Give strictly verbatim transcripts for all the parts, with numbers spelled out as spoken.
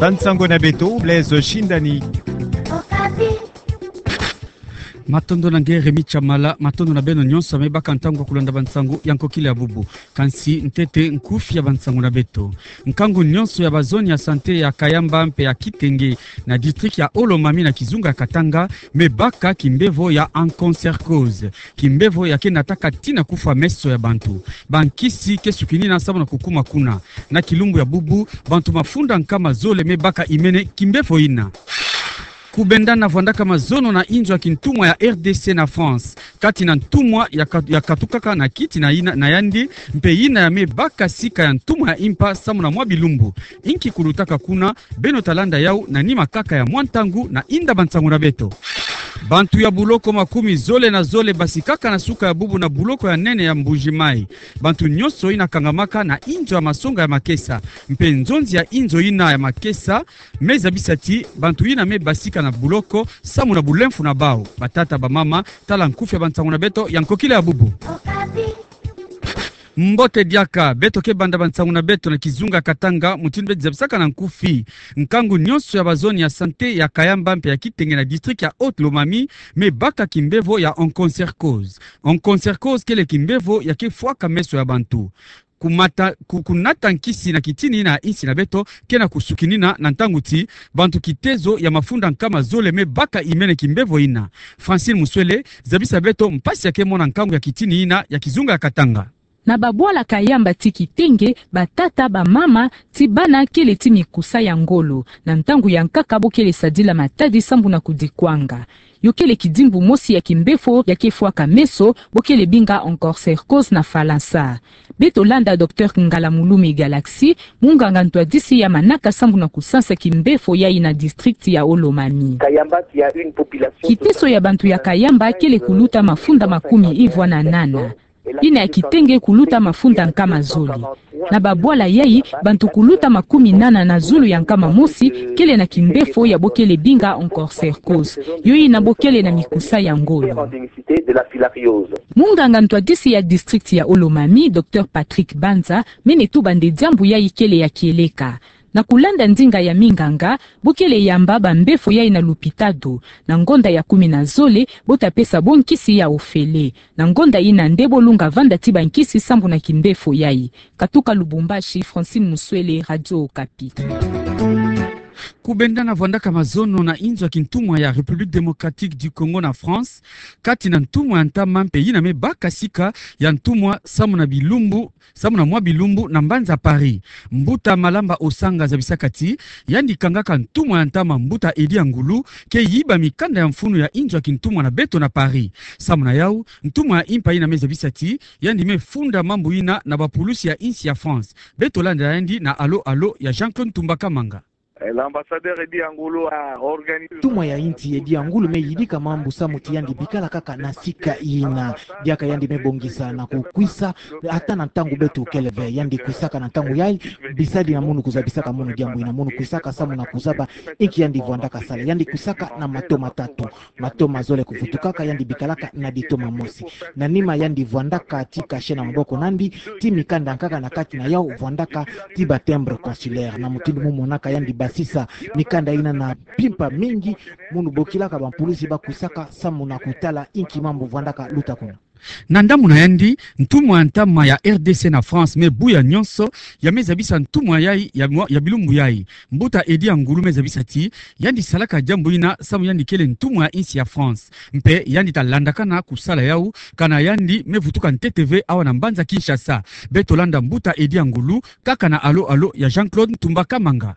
Bansango na beto, Blaise Shindani. Matondo na nge Remy Tshamala, matondo na beno nyonso me baka ntangu ya kulanda bansango ya nkokila ya bubu. Kansi ntete nkufi ya bansango na beto. Nkangu nyonso ya bazone ya santé ya Kayamba mpe ya Kitenge na district ya Haut-Lomami na kizunga ya Katanga me baka kimbevo ya onchocercose. Kimbevo ya ke nataka tii na kufwa meso ya bantu. Bankisi ke sukinina samu na kukuma kuna. Na kilumbu ya bubu, bantu mafunda nkama zole me baka imene kimbevo ina. Kubendana vwandaka mazono na inzo ya kintumwa ya R D C na France, kati na ntumwa ya ka-, ya katukaka na kiti na ina, na yandi, mpe ina ya me baka sika ya ntumwa ya impa samu na mwa bilumbu. Inki kulutaka kuna, beno talanda yau na nima kaka ya mwa ntangu na inda bansango na beto. Bantu ya buloko makumi zole na zole basikaka na suka ya bubu na buloko ya nene ya Mbuji-Mayi. Bantu nyonso ina kangamaka na inzo ya masonga ya makesa, mpe nzonzi ya inzo ina ya makesa, me zabisa ti bantu ina me basika na buloko samu na bulemfu na bau. Batata, bamama, tala nkufi ya bansango na beto ya nkokila ya bubu. Mbote diaka, beto ke banda bansango na beto na kizunga Katanga, mutindu beti zabisaka na nkufi. Nkangu nyonso ya bazone ya santé ya Kayamba mpe ya Kitenge na district ya Haut-Lomami me baka kimbevo ya onchocercose. Onchocercose kele kimbevo ya ke fwaka meso ya bantu. Kumata, ku-, kunata nkisi na kitini na insi na beto ke na kusukinina na ntangu ti bantu kitezo ya mafunda nkama zole me baka imene kimbevo ina. Francine Muswele, zabisa beto mpasi ya ke mona nkangu ya kitini ina ya kizunga ya Katanga. Na babwala Kayamba ti Kitenge, batata, bamama, ti bana kele ti mikusa ya ngolo. Na ntangu ya nkaka bo kele sadila matadi sambu na kudikwanga. Yo kele kidimbu mosi ya kimbefo ya ke fwaka meso, bo kele binga onchocercose na falansa. Beto landa Docteur Ngalamulumi Galaxy, munganga ntwadisi ya manaka sambu na kusansa kimbefo yayi na district ya Haut-Lomami. Kiteso ya bantu ya Kayamba kele kuluta mafunda makumi ivwa na nana. Ina ya Kitenge kuluta mafunda nkama zole. Na babwala yayi, bantu kuluta makumi nana na zulu ya nkama mosi kele na kimbefo ya bo kele binga onchocercose. Yo ina bo kele na mikusa ya ngolo. Munganga ntwadisi ya district ya Haut-Lomami, Docteur Patrick Banza, mene tuba nde diambu yayi kele ya kieleka. Na kulanda ndinga ya minganga, bo kele yamba bambefo yayi na lupitalo. Na ngonda ya kumi na zole, bo ta pesa bo nkisi ya ofele. Na ngonda ina nde bo lunga vanda ti bankisi sambu na kimbefo yayi. Katuka Lubumbashi, Francine Muswele, Radio Okapi. Kubendana vwandaka mazono na inzo ya kintumwa ya République Démocratique du Congo na France, kati na ntumwa ya ntama mpe ina me baka sika ya ntumwa samu na bilumbu, samu na mwa bilumbu na mbanza Paris. Mbuta Malamba Osanga zabisaka ti yandi kangaka ntumwa ya ntama mbuta Eddy Angulu ke yiba mikanda ya mfunu ya inzo ya kintumwa na beto na Paris. Samu na yau, ntumwa ya impa ina me zabisa ti yandi me funda mambu ina na bapulusi ya insi ya France. Beto landa yandi na Allô Allô ya Jean-Claude Ntumba Kamanga. Eh, l'ambassadeur Eddy Angulu a organisé. Ntumwa ya insi Eddy Angulu me yidika mambu samu ti yandi bikala kaka na sika ina. Diaka yandi me bongisa na kukwisa, ata na ntangu beto kele ve, yandi kwisaka na ntangu yayi, bisadi na munu kuzabisaka munu diambu ina, munu kwisaka samu na kuzaba inki yandi vwandaka sala. Yandi kwisaka na mato matatu. Mato mazole kuvutukaka, yandi bikalaka na lito mosi. Na nima yandi vwandaka ti kashe na maboko nandi, ti mikanda nkaka na kati na yau vwandaka ti ba timbre consulaire. Na mutindu mu monaka yandi basisa mikanda ina na mpimpa mingi, munu bokilaka bampulusi bakwisaka samu na kutala inki mambu vwandaka luta kuna. Na ndambu na yandi, ntumwa ya ntama ya R D C na France me buya nyonso, ya me zabisa ntumwa yayi ya mwa-, ya bilumbu yayi. Mbuta Eddy Angulu me zabisa ti yandi salaka diambu ina samu yandi kele ntumwa ya insi ya France. Mpe yandi ta landakana kusala yau, kana yandi me vutuka ntete ve awa na mbanza Kinshasa. Beto landa mbuta Eddy Angulu kaka na Allô Allô ya Jean-Claude Ntumba Kamanga.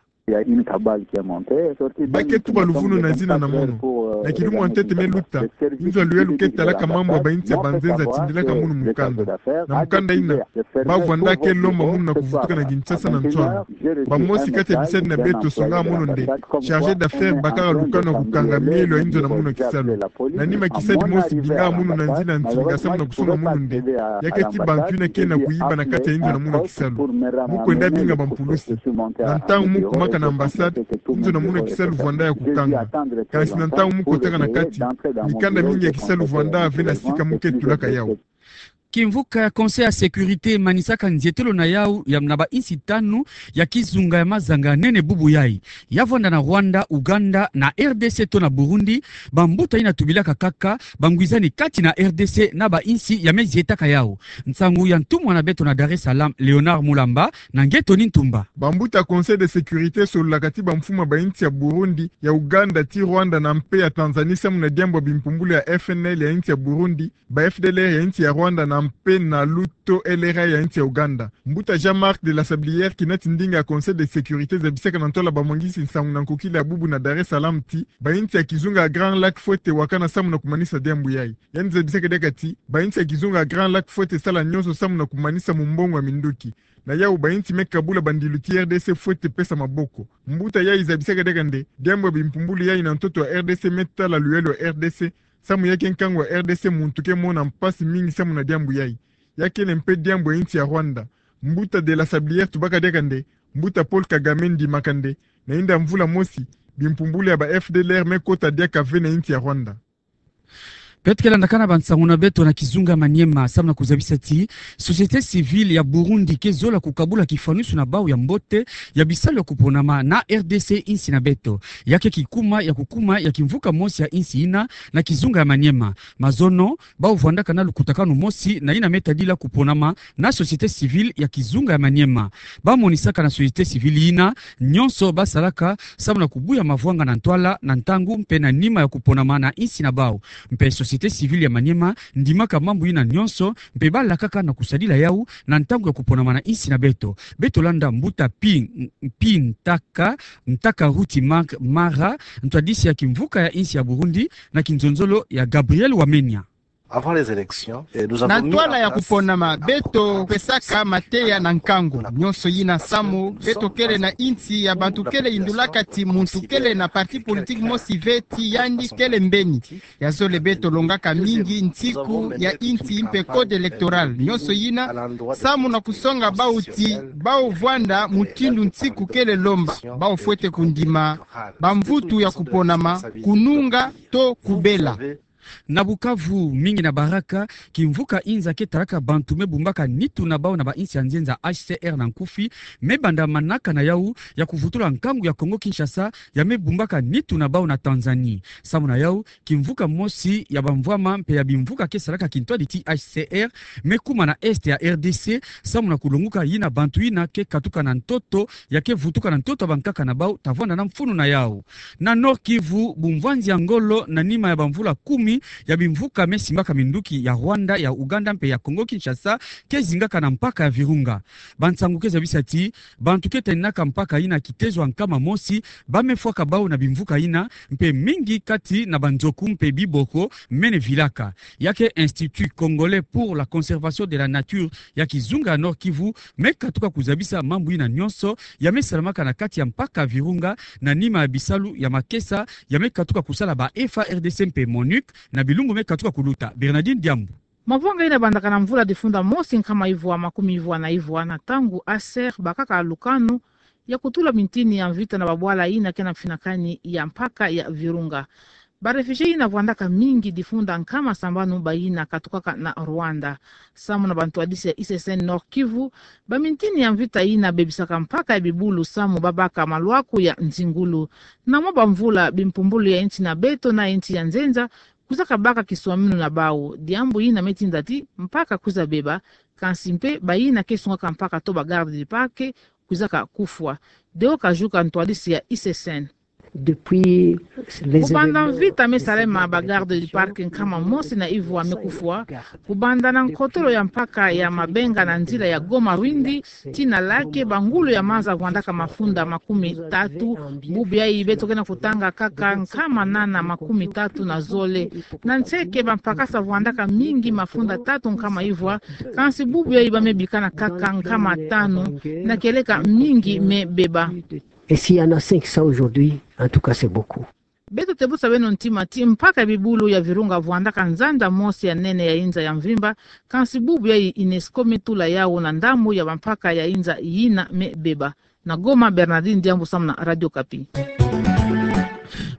Ba ke tuba luvunu na zina na munu. Na kilumu ya ntete me luta, inzo ya luyalu ke talaka mambu ya bainsi ya banzenza tindilaka munu mukanda. Na mukanda ina, ba vwandaka ke lomba munu na kuvutuka na Kinshasa na nswanu. Bamosi kati ya bisadi na beto songa munu nde chargé d'affaires bakaka lukanu ya kukanga mielo ya inzo na munu ya kisalu. Na nima kisadi mosi binga munu na nzila nsinga samu na kusonga munu nde ya ke ti bantu ina ke na kuyiba na kati ya inzo na munu ya kisalu. Mu kwenda binga bampulusi. Na ntangu mu kumaka na ambassade, inzo na munu ya kisalu vwanda ya kukanga. Kansi na ntangu mu kotaka na kati, mikanda mingi ya kisalu vwanda ve na sika mu ke tulaka yau. Kimvuka ya Conseil ya Sécurité manisaka nzietelo na yau ya na ba insi tanu ya kizunga ya mazanga nene bubu yai. Ya vwanda na Rwanda, Ouganda, na R D C to na Burundi, bambuta ina tubilaka kaka bangwizani kati na R D C na ba insi ya me zietaka yau. Nsangu ya ntumwa na beto na Dar es Salaam, Léonard Mulamba, na nge Tony Ntumba. Bambuta Conseil de Sécurité sololaka ti bamfumu ya ba insi ya Burundi, ya Ouganda, ti Rwanda na mpe ya Tanzanie samu na diambu ya bimpumbulu ya F N L ya insi ya Burundi, ba F D L R ya insi ya Rwanda na mpe na luto L R A ya insi ya Ouganda. Mbuta Jean-Marc de la Sablière, kina ti ndinga ya Conseil de Sécurité, zabisaka na ntwala bamwangisi nsangu na nkokila ya bubu na Dar es Salaam ti ba insi ya kizunga ya Grand Lac fwete wakana samu na kumanisa diambu yai. Yandi zabisaka diaka ti ba insi ya kizunga ya Grand Lac fwete sala nyonso samu na kumanisa mumbongo ya minduki. Na yau ba insi me kabula bandilu ti R D C fwete pesa maboko. Mbuta yai zabisaka diaka nde diambu ya bimpumbulu yai na ntoto ya R D C me tala luyalu ya R D C, samu ya ke nkangu ya R D C muntu ke mona mpasi mingi samu na diambu yai. Ya kele mpe diambu ya insi ya Rwanda. Mbuta de la Sablière tubaka diaka nde Mbuta Paul Kagame ndimaka nde na inda mvula mosi, bimpumbulu ya ba F D L R me kota diaka ve na insi ya Rwanda. Beto ke landakana bansangu na beto na kizunga Maniema, samu na kuzabisa ti société civile ya Burundi ke zola kukabula kifwanusu na bau ya mbote ya bisalu ya kuponama na R D C, insi na beto. Ya ke kikuma ya kukuma ya kimvuka mosi ya insi ina na kizunga ya Maniema. Mazono, bau vwandaka na lukutakanu mosi na ina me tadila kuponama na société civile ya kizunga ya Maniema. Bamonisaka na société civile ina nyonso basalaka samu na kubuya mavwanga na ntwala, na ntangu mpe na nima ya kuponama na insi na bau. Mpe société civile ya Maniema ndimaka mambu ina nyonso, mpe balakaka na kusadila yau na ntangu ya kuponama na insi na beto. Beto landa Mbuta Pi, Pi Ntaka, Ntaka Ruti Mark Mara, ntwadisi ya kimvuka ya insi ya Burundi, na kinzonzolo ya Gabriel Wamenya. Avant les élections, eh, nous avons Na mis ntwala en ya place kuponama, beto pesaka mateya na nkangu. Nyonso ina samu beto kele na insi ya bantu kele yindulaka ti muntu kele na parti politique mosi ve ti yandi kele mbeni. Ya zole beto longaka mingi nsiku ya insi mpe code électoral. Nyonso ina samu na kusonga bau ti bau vwanda mutindu nsiku kele lomba. Bau fwete kundima bamvutu ya kuponama, kununga to kubela. Na Bukavu, mingi na Baraka, kimvuka inza ke talaka bantu me bumbaka nitu na bau na ba insi ya nzenza, H C R na nkufi, me banda manaka na yau ya kuvutula nkangu ya Congo Kinshasa ya me bumbaka nitu na bau na Tanzanie. Samu na yau, kimvuka mosi ya bamvwama mpe ya bimvuka ke salaka kintwadi ti H C R me kuma na est ya R D C, samu na kulonguka ina bantu ina ke katuka na ntoto, ya ke vutuka na ntoto ya bankaka na bau, ta vwanda na mfunu na yau. Na Nord-Kivu, bumvwanzi ya ngolo na nima ya bamvula kumi ya bimvuka me simbaka minduki ya Rwanda, ya Ouganda mpe ya Congo Kinshasa ke zingaka na mpaka ya Virunga. Bansangu ke zabisa ti bantu ke taninaka mpaka ina kitezo ya nkama mosi ba me fwaka bau na bimvuka ina, mpe mingi kati na banzoku mpe biboko mene vilaka. Ya ke Institut Congolais pour la Conservation de la Nature ya kizunga ya Nord-Kivu me katuka kuzabisa mambu ina nyonso ya me salamaka na kati ya mpaka Virunga na nima ya bisalu ya makesa ya me katuka kusala ba F A R D C mpe MONUC na bilumbu me katuka kuluta. Bernardine Diambu. Mavwanga ina bandaka na mvula difunda mosi nkama ivwa makumi ivwa na ivwa na ntangu H C R bakaka lukanu ya kutula mintini ya mvita na babwala ina ke na mfinakani ya mpaka ya Virunga. Ba réfugiés ina vwandaka mingi difunda nkama sambanu baina katukaka na Rwanda. Samu na bantwadisi ya I C C N Nord-Kivu, bamintini ya mvita ina bebisaka mpaka ya bibulu samu babaka malwaku ya nzingulu. Na mwa bamvula, bimpumbulu ya insi na beto na insi ya nzenza kwizaka baka kiswaminu na bau. Diambu ina me tinda ti mpaka kwiza beba, kansi mpe baina ke sungaka mpaka to ba garde du parc kwizaka kufwa. Deo Kajuka, ntwadisi ya I C C N. Depuis les événements, kubanda mvita me salama, ba garde du parc nkama mosi na ivwa me kufwa. Kubanda na nkotolo ya mpaka ya Mabenga na nzila ya Goma-Rwindi tii na Lake, bangulu ya maza vwandaka mafunda makumi tatu. Bubu yayi beto ke na kutanga kaka nkama nana makumi tatu na zole. Na nseke bampakasa vwandaka mingi, mafunda tatu nkama ivwa. Kansi bubu yayi ba me bikana kaka nkama tanu. Na kieleka mingi me beba. Et s'il y en a cinq cents aujourd'hui, en tout cas, c'est beaucoup. Beto tebusa beno ntima ti mpaka ya bibulu ya Virunga vwandaka nzanza mosi ya nene ya inza ya mvimba, kansi bubu yayi UNESCO me tula yau na ndambu ya bampaka ya inza yina me beba. Na Goma, Bernardine Diambu samu na Radio Okapi.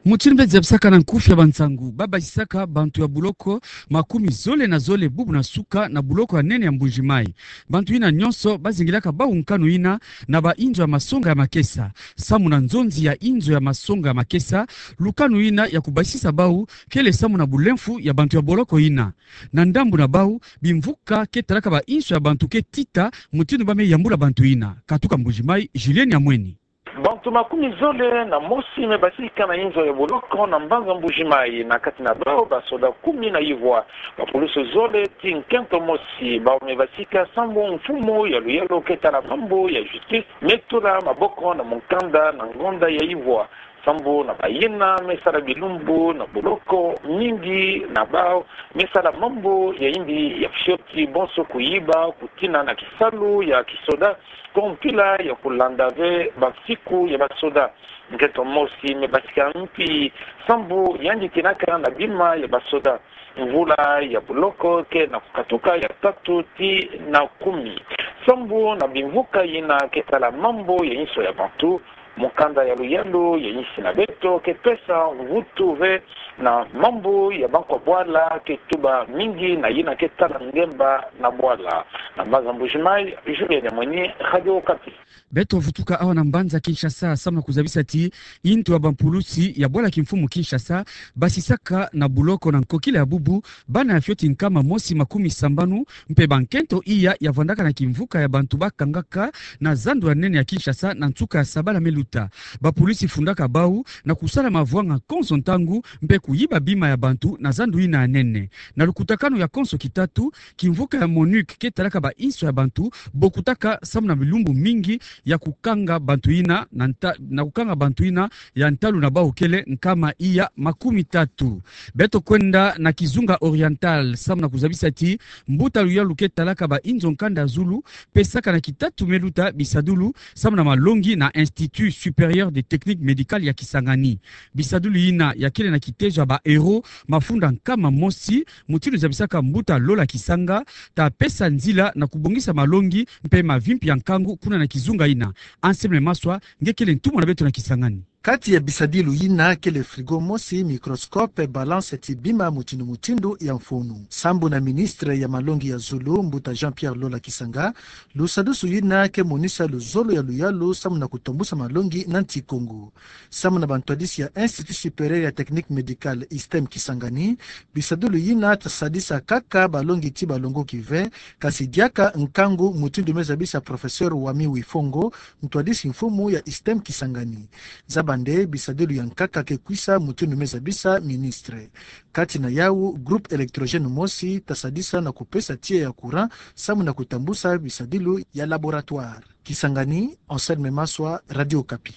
Mutindu mpe zabisaka na nkufi ya bansangu, babasisaka bantu ya boloko makumi zole na zole bubu na suka na boloko ya nene ya Mbuji-Mayi. Bantu yina nyonso bazingilaka bau nkanu yina na bainzo ya masonga ya makesa. Samu na nzonzi ya inzo ya masonga ya makesa, lukanu yina ya kubasisa bau kele samu na bulemfu ya bantu ya boloko yina. Na ndambu na bau, bimvuka ke talaka bainzo ya bantu ke tita mutindu ba me yambula bantu yina. Katuka Mbuji-Mayi, Julienne Yamweni. Bantu makumi zole na mosi me basika na inzo ya boloko na mbanza Mbuji-Mayi, na kati na bau basoda kumi na ivwa, bapulusu zole ti nkento mosi, bau me basika sambu mfumu ya luyalu ke tala mambu ya justice me tula maboko na mukanda na ngonda ya ivwa. Sambu na bayina me sala bilumbu na boloko, mingi na bau me sala mambu ya yimbi ya fioti, bonso kuyiba, kutina na kisalu ya kisoda, ko mpila ya kulanda ve bansiku ya basoda. Nkento mosi me basika mpi sambu yandi tinaka na bima ya basoda. Mvula ya boloko ke na kukatuka ya tatu ti na kumi. Sambu na bimvuka yina ke tala mambu ya inzo ya bantu, mukanda ya luyalu ya insi na beto ke pesa mvutu ve na mambu ya bankwa bwala ke tuba mingi na yina ke tala ngemba na bwala. Na mbanza Mbuji-Mayi, Julienne Yamweni, Radio Okapi. Beto vutuka awa na mbanza Kinshasa, samu na kuzabisa ti intu ya bampulusi ya bwala kimfumu Kinshasa basisaka na boloko na nkokila ya bubu bana ya fioti nkama mosi makumi sambanu, mpe bankento iya ya vwandaka na kimvuka ya bantu bakangaka na zandu ya nene ya Kinshasa na nsuka ya sabala me luta. Bapulusi fundaka bau na kusala mavwanga konso ntangu mpe kuyiba bima ya bantu na zandu yina ya nene. Na lukutakanu ya konso kitatu, kimvuka ya MONUC ke talaka bainzo ya bantu bokutaka samu na bilumbu mingi ya kukanga bantu yina na nta-, na kukanga bantu yina ya ntalu na bau kele nkama iya makumi tatu. Beto kwenda na Kizunga Oriental, samu na kuzabisa ti mbuta luyalu ke talaka bainzo nkanda zulu pesaka na kitatu me luta bisadulu samu na malongi na Institut Supérieur de Technique Médicale ya Kisangani. Bisadulu yina ya kele na kitezo ya ba euros mafunda nkama mosi, mutindu zabisaka mbuta Lola Kisanga, ta pesa nzila na kubongisa malongi mpe mavimpi ya nkangu kuna na kizunga yina. Anselme Maswa nge kele ntumwa na beto na Kisangani. Kati ya bisadulu yina kele frigo mosi, microscope, balance ti bima mutindu mutindu ya mfunu. Sambu na ministre ya malongi ya zulu, mbuta Jean-Pierre Lola Kisanga, lusadusu yina ke monisa luzolo ya luyalu samu na kutombusa malongi na nsi Kongo. Samu na bantwadisi ya Institut Supérieur ya Technique Médicale, ISTEM, Kisangani, bisadulu yina ta sadisa kaka balongi ti balongoki ve, kasi diaka nkangu, mutindu me zabisa professeur Wami Wifongo, ntwadisi mfumu ya ISTEM Kisangani. Zaba nde bisadulu ya nkaka ke kwisa, mutindu me zabisa ministre. Kati na yau, groupe électrogène mosi ta sadisa na kupesa tiya ya courant samu na kutambusa bisadulu ya laboratoire. Kisangani, Anselme Maswa, Radio Okapi.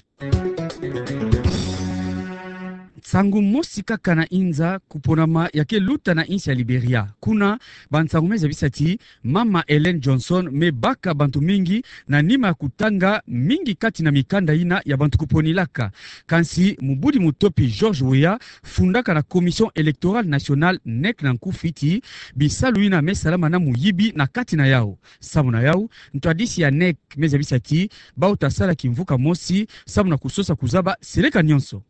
Nsangu mosi kaka na inza kuponama ya ke luta na insi ya Liberia. Kuna, bansangu me zabisa ti Mama Ellen Johnson me baka bantu mingi na nima ya kutanga mingi kati na mikanda yina ya bantu kuponilaka. Kansi mobudi motopi George Weah, fundaka na Commission Électorale Nationale, NEC na nkufi, ti bisalu yina me salama na moyibi na kati na yau. Samu na yau, ntwadisi ya NEC me zabisa ti bau ta sala kimvuka mosi samu na kusosa kuzaba seleka nyonso.